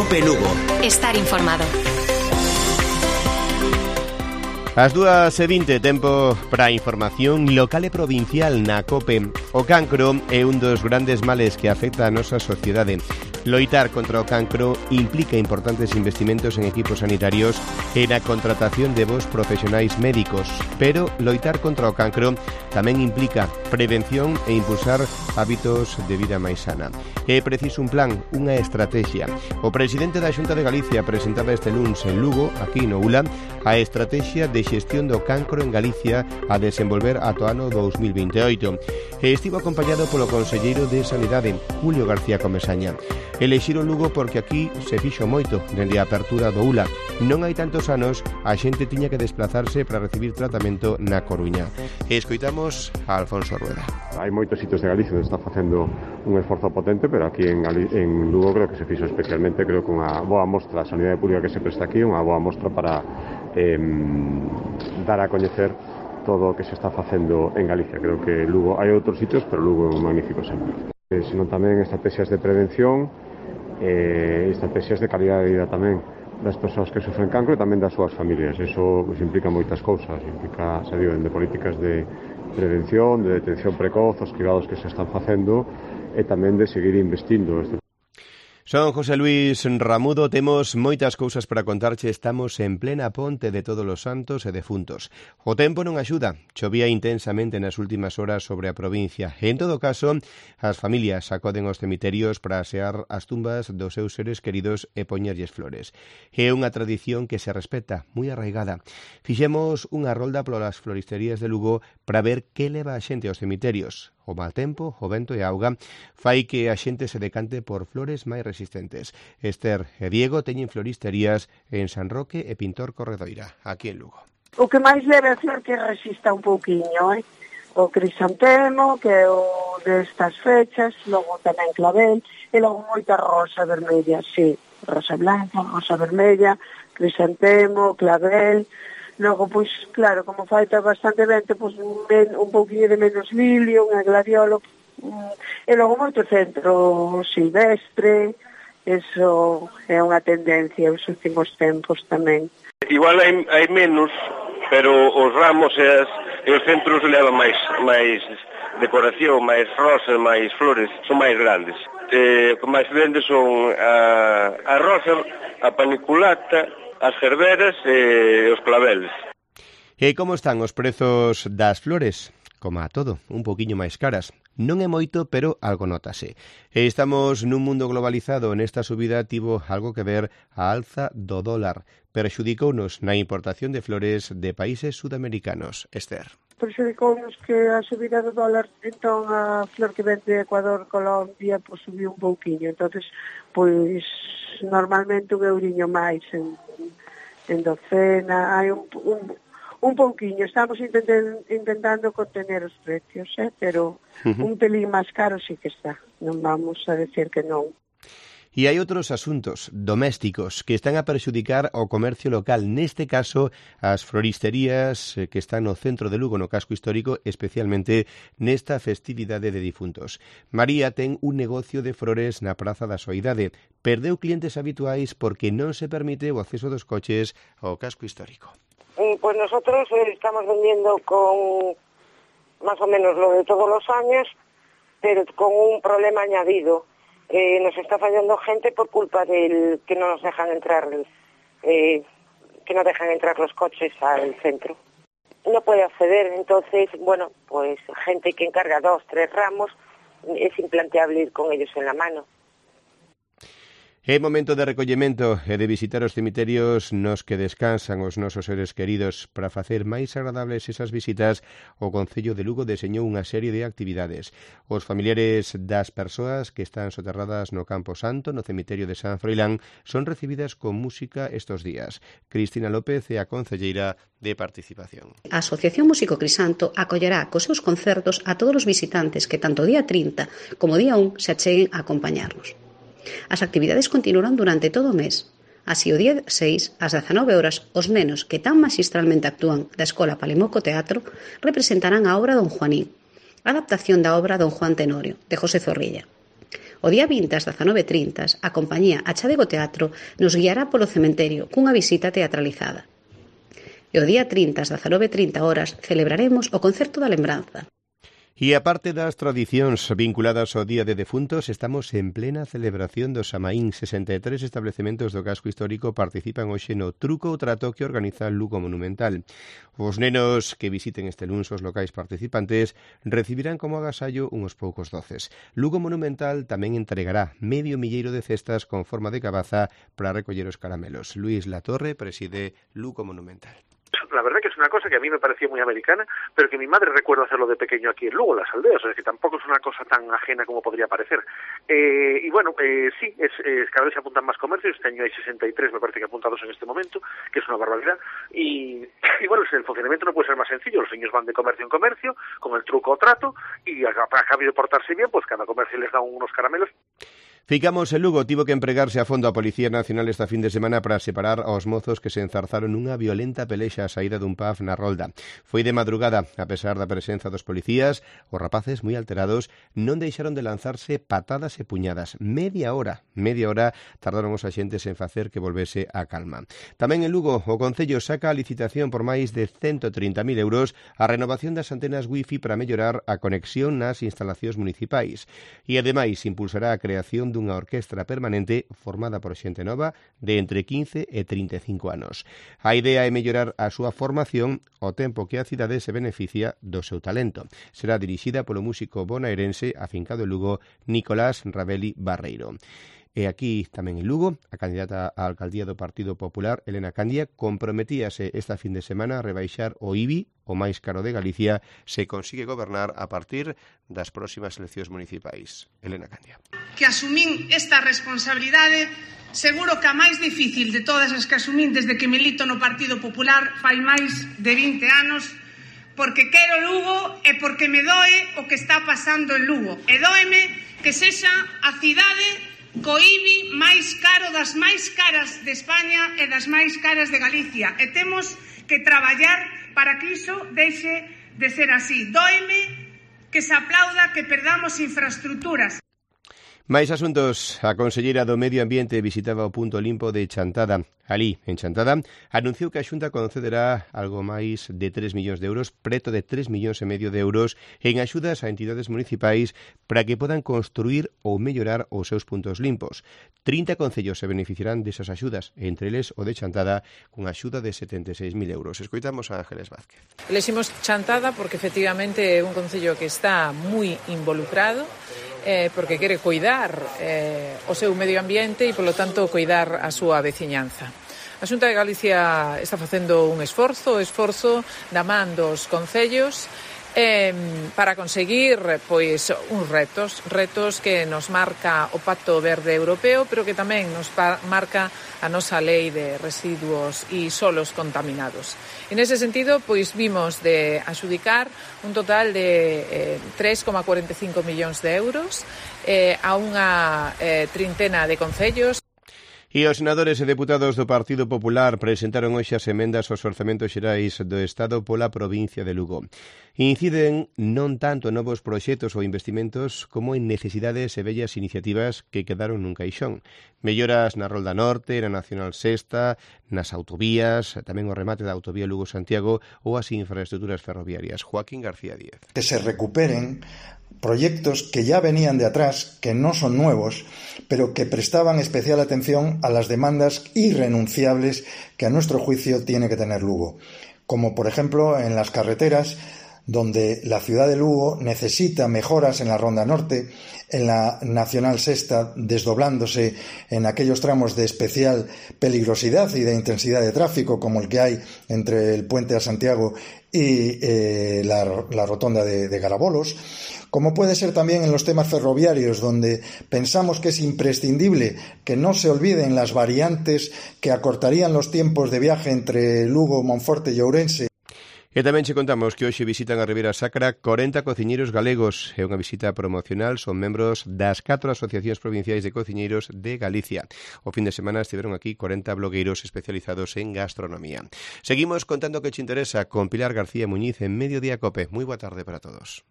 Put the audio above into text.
COPE Lugo. Estar informado. As 2:20, tempo para a información local e provincial na COPE. O cancro é un dos grandes males que afecta a nosa sociedade. Loitar contra o cancro implica importantes investimentos en equipos sanitarios e na contratación de bons profesionais médicos, pero loitar contra o cancro tamén implica prevención e impulsar hábitos de vida máis sana. É preciso un plan, unha estrategia. O presidente da Xunta de Galicia presentaba este luns en Lugo, aquí no ULA, a estrategia de xestión do cancro en Galicia a desenvolver ata o ano 2028. E estivo acompañado polo conselleiro de Sanidade, Julio García Comesaña. Elexiron Lugo porque aquí se fixo moito dende a apertura do ULA. Non hai tantos anos a xente tiña que desplazarse para recibir tratamento na Coruña. E escoitamos a Alfonso Rueda. Hai moitos sitios de Galicia onde está facendo un esforzo potente, pero aquí en Lugo creo que se fixo especialmente, creo que unha boa mostra a sanidade pública que se presta aquí, unha boa mostra para dar a coñecer todo o que se está facendo en Galicia. Creo que Lugo hai outros sitios, pero Lugo é un magnífico exemplo. Senón tamén estrategias de prevención, estrategias de calidad de vida tamén das persoas que sufren cancro e tamén das súas familias. Eso pues, implica moitas cousas, implica, se digo, de políticas de prevención, de detención precoz, os cribados que se están facendo e tamén de seguir investindo. Son José Luis Ramudo, temos moitas cousas para contarche, estamos en plena ponte de Todos os Santos e Defuntos. O tempo non axuda, chovía intensamente nas últimas horas sobre a provincia. En todo caso, as familias acoden aos cemiterios para asear as tumbas dos seus seres queridos e poñerlles flores. É unha tradición que se respeta, moi arraigada. Fixemos unha rolda polas floristerías de Lugo para ver que leva a xente aos cemiterios. O mal tempo, o vento e a auga fai que a xente se decante por flores máis resistentes. Esther e Diego teñen floristerías en San Roque e Pintor Corredoira, aquí en Lugo. O que máis leve a flor que resista un pouquiño, o crisantemo, que é o destas fechas, logo tamén clavel, e logo moita rosa vermella, sí, rosa blanca, rosa vermella, crisantemo, clavel. Logo, pois, claro, como falta bastante vento, pois un pouquinho de menos lilio, unha gladiolo, e logo moito centro silvestre, eso é unha tendencia os últimos tempos tamén. Igual hai menos, pero os ramos e os centros levan máis decoración, máis rosas, máis flores, son máis grandes. O que máis vende son a rosa, a paniculata, as gerberas e os claveles. E como están os prezos das flores? Como a todo, un poquinho máis caras. Non é moito, pero algo notase. E estamos nun mundo globalizado, nesta subida tivo algo que ver a alza do dólar. Perxudicounos na importación de flores de países sudamericanos. Esther. Perxudicounos que a subida do dólar, entón a flor que vende de Ecuador, Colombia, pois subiu un pouquinho. Entonces, pois normalmente un euriño máis en docena, hai un pouquiño, estamos intentando contener os precios, pero un pelín máis caro sí que está, non vamos a decir que non. E hai outros asuntos domésticos que están a perxudicar o comercio local, neste caso as floristerías que están no centro de Lugo, no casco histórico, especialmente nesta festividade de difuntos. María ten un negocio de flores na Praza da Soidade. Perdeu clientes habituais porque non se permite o acceso dos coches ao casco histórico. Pues nosotros estamos vendiendo con más o menos lo de todos los años, pero con un problema añadido. Nos está fallando gente por culpa del que no nos dejan entrar, que no dejan entrar los coches al centro. No puede acceder, entonces, bueno, pues gente que encarga 2, 3 ramos, es implanteable ir con ellos en la mano. É momento de recollemento e de visitar os cemiterios nos que descansan os nosos seres queridos. Para facer máis agradables esas visitas, o Concello de Lugo deseñou unha serie de actividades. Os familiares das persoas que están soterradas no Campo Santo, no cemiterio de San Froilán, son recibidas con música estos días. Cristina López é a concelleira de Participación. A Asociación Músico Crisanto acollerá cos seus concertos a todos os visitantes que tanto o día 30 como o día 1 se acheguen a acompañarnos. As actividades continuarán durante todo o mes. Así, o día 6, ás 19 horas, os nenos que tan magistralmente actúan da Escola Palimoco Teatro representarán a obra Don Juanín, adaptación da obra Don Juan Tenorio, de José Zorrilla. O día 20 ás 19:30, a compañía Achadego Teatro nos guiará polo cementerio cunha visita teatralizada. E o día 30 ás 19:30 celebraremos o Concerto da Lembranza. E aparte das tradicións vinculadas ao Día de Defuntos, estamos en plena celebración do Samaín. 63 establecementos do casco histórico participan hoxe no Truco ou Trato que organiza Lugo Monumental. Os nenos que visiten este luns os locais participantes recibirán como agasallo uns poucos doces. Lugo Monumental tamén entregará 500 de cestas con forma de cabaza para recoller os caramelos. Luis Latorre preside Lugo Monumental. La verdad que es una cosa que a mí me parecía muy americana, pero que mi madre recuerda hacerlo de pequeño aquí en Lugo, en las aldeas, o sea que tampoco es una cosa tan ajena como podría parecer. Y bueno, sí, cada vez se apuntan más comercios, este año hay 63, me parece que apuntados en este momento, que es una barbaridad, y bueno, el funcionamiento no puede ser más sencillo, los niños van de comercio en comercio, con el truco o trato, y a cambio de portarse bien, pues cada comercio les da unos caramelos. Ficamos en Lugo, tivo que empregarse a fondo a Policía Nacional esta fin de semana para separar aos mozos que se enzarzaron nunha violenta pelexa á saída dun pub na Rolda. Foi de madrugada, a pesar da presenza dos policías, os rapaces moi alterados non deixaron de lanzarse patadas e puñadas. Media hora tardaron os axentes en facer que volvese a calma. Tamén en Lugo, o Concello saca a licitación por máis de 130.000 euros a renovación das antenas wifi para mellorar a conexión nas instalacións municipais. E ademais impulsará a creación dunha orquestra permanente formada por xente nova de entre 15 e 35 anos. A idea é mellorar a súa formación ao tempo que a cidade se beneficia do seu talento. Será dirixida polo músico bonaerense afincado en Lugo Nicolás Rabeli Barreiro. E aquí tamén en Lugo, a candidata á alcaldía do Partido Popular, Elena Candia, comprometíase esta fin de semana a rebaixar o IBI, o máis caro de Galicia, se consigue gobernar a partir das próximas eleccións municipais. Elena Candia. Que asumín esta responsabilidade, seguro que a máis difícil de todas as que asumín desde que milito no Partido Popular fai máis de 20 anos, porque quero Lugo e porque me doe o que está pasando en Lugo. E dóeme que sexa a cidade co IBI máis caro das máis caras de España e das máis caras de Galicia. E temos que traballar para que iso deixe de ser así. Dóeme que se aplauda que perdamos infraestructuras. Máis asuntos. A conselleira do Medio Ambiente visitaba o punto limpo de Chantada. Alí, en Chantada, anunciou que a Xunta concederá algo máis de 3 millóns de euros, preto de 3,5 millóns de euros, en axudas a entidades municipais para que podan construir ou mellorar os seus puntos limpos. 30 concellos se beneficiarán desas axudas, entre eles o de Chantada, con axuda de 76.000 euros. Escoitamos a Ángeles Vázquez. Eleximos Chantada porque efectivamente é un concello que está moi involucrado, porque quere coidar o seu medio ambiente e, polo tanto, coidar a súa veciñanza. A Xunta de Galicia está facendo un esforzo da man dos concellos para conseguir pois uns retos que nos marca o Pacto Verde Europeo, pero que tamén nos marca a nosa lei de residuos e solos contaminados. En ese sentido, pois vimos de adxudicar un total de 3,45 millóns de euros a unha trintena de concellos. E os senadores e deputados do Partido Popular presentaron hoxe as emendas aos orzamentos xerais do Estado pola provincia de Lugo. Inciden non tanto en novos proxectos ou investimentos como en necesidades e bellas iniciativas que quedaron nun caixón. Melloras na Rolda Norte, na Nacional Sexta, nas autovías, tamén o remate da autovía Lugo-Santiago ou as infraestructuras ferroviarias. Joaquín García Díez. Que se recuperen proyectos que ya venían de atrás, que no son nuevos, pero que prestaban especial atención a las demandas irrenunciables que a nuestro juicio tiene que tener Lugo. Como por ejemplo en las carreteras, donde la ciudad de Lugo necesita mejoras en la Ronda Norte, en la Nacional Sexta, desdoblándose en aquellos tramos de especial peligrosidad y de intensidad de tráfico, como el que hay entre el Puente a Santiago y la rotonda de Garabolos, como puede ser también en los temas ferroviarios, donde pensamos que es imprescindible que no se olviden las variantes que acortarían los tiempos de viaje entre Lugo, Monforte y Ourense. E tamén che contamos que hoxe visitan a Ribeira Sacra 40 cociñeiros galegos. É unha visita promocional, son membros das 4 asociacións provinciais de cociñeiros de Galicia. O fin de semana estiveron aquí 40 blogueiros especializados en gastronomía. Seguimos contando que che interesa con Pilar García Muñiz en Mediodía Cope. Moi boa tarde para todos.